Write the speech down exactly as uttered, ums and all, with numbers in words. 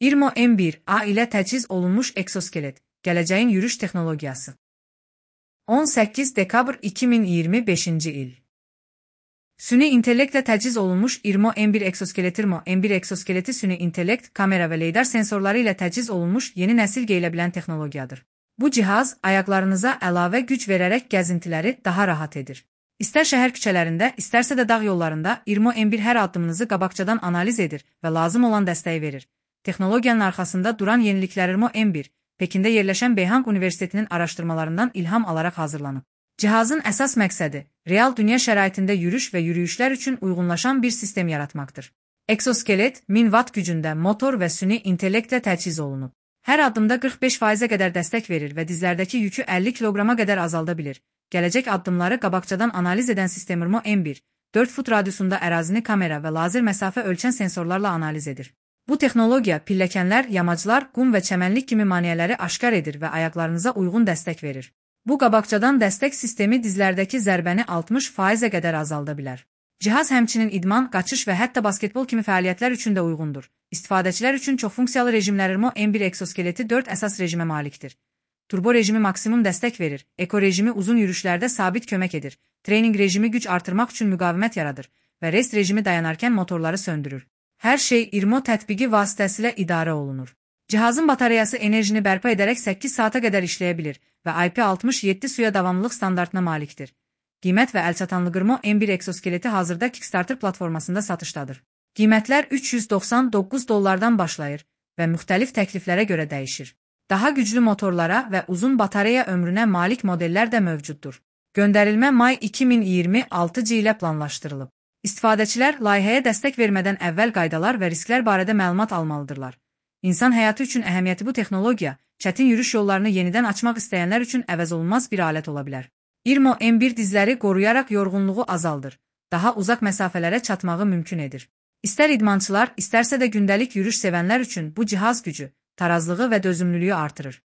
İRMO M bir A ilə təchiz olunmuş eksoskelet, gələcəyin yürüş texnologiyası. on səkkiz dekabr iki min iyirmi beşinci il. Süni intellektlə təchiz olunmuş İRMO M bir eksoskelet İRMO M bir eksoskeleti süni intellekt, kamera və leydar sensorları ilə təchiz olunmuş yeni nəsil geyilə bilən texnologiyadır. Bu cihaz ayaqlarınıza əlavə güc verərək gəzintiləri daha rahat edir. İstər şəhər küçələrində, istərsə də dağ yollarında İRMO M bir hər addımınızı qabaqcadan analiz edir və lazım olan dəstəyi verir. Texnologiyanın arxasında duran yeniliklər İRMO M bir, Pekində yerləşən Beihang Universitetinin araşdırmalarından ilham alaraq hazırlanıb. Cihazın əsas məqsədi, real dünya şəraitində yürüş və yürüyüşlər üçün uyğunlaşan bir sistem yaratmaqdır. Eksoskelet, min watt gücündə motor və süni intellektlə təchiz olunub. Hər addımda qırx beş faizə qədər dəstək verir və dizlərdəki yükü əlli kiloqrama qədər azalda bilir. Gələcək addımları qabaqcadan analiz edən sistem İRMO M bir, dörd fut radiusunda ərazini kamera və lazer məsafə ölçən sensorlarla analiz edir. Bu texnologiya pilləkənlər, yamaclar, qum və çəmənlik kimi maneələri aşkar edir və ayaqlarınıza uyğun dəstək verir. Bu qabaqcadan dəstək sistemi dizlərdəki zərbəni altmış faizə qədər azalda bilər. Cihaz həmçinin idman, qaçış və hətta basketbol kimi fəaliyyətlər üçün də uyğundur. İstifadəçilər üçün çoxfunksiyalı rejimlər İRMO M bir eksoskeleti dörd əsas rejimə malikdir. Turbo rejimi maksimum dəstək verir, eko rejimi uzun yürüşlərdə sabit kömək edir, treyning rejimi güc artırmaq üçün müqavimət yaradır və rest rejimi dayanarkən motorları söndürür. Hər şey İRMO tətbiqi vasitəsilə idarə olunur. Cihazın batareyası enerjini bərpa edərək səkkiz saata qədər işləyə bilir və I P altmış yeddi suya davamlılıq standartına malikdir. Qiymət və əlçatanlıq İRMO M bir eksoskeleti hazırda Kickstarter platformasında satışdadır. Qiymətlər üç yüz doxsan doqquz dollardan başlayır və müxtəlif təkliflərə görə dəyişir. Daha güclü motorlara və uzun batareya ömrünə malik modellər də mövcuddur. Göndərilmə may iki min iyirmi altıncı ilə planlaşdırılıb. İstifadəçilər layihəyə dəstək vermədən əvvəl qaydalar və risklər barədə məlumat almalıdırlar. İnsan həyatı üçün əhəmiyyəti bu texnologiya, çətin yürüş yollarını yenidən açmaq istəyənlər üçün əvəzolunmaz bir alət ola bilər. İRMO M bir dizləri qoruyaraq yorğunluğu azaldır, daha uzaq məsafələrə çatmağı mümkün edir. İstər idmançılar, istərsə də gündəlik yürüş sevənlər üçün bu cihaz gücü, tarazlığı və dözümlülüyü artırır.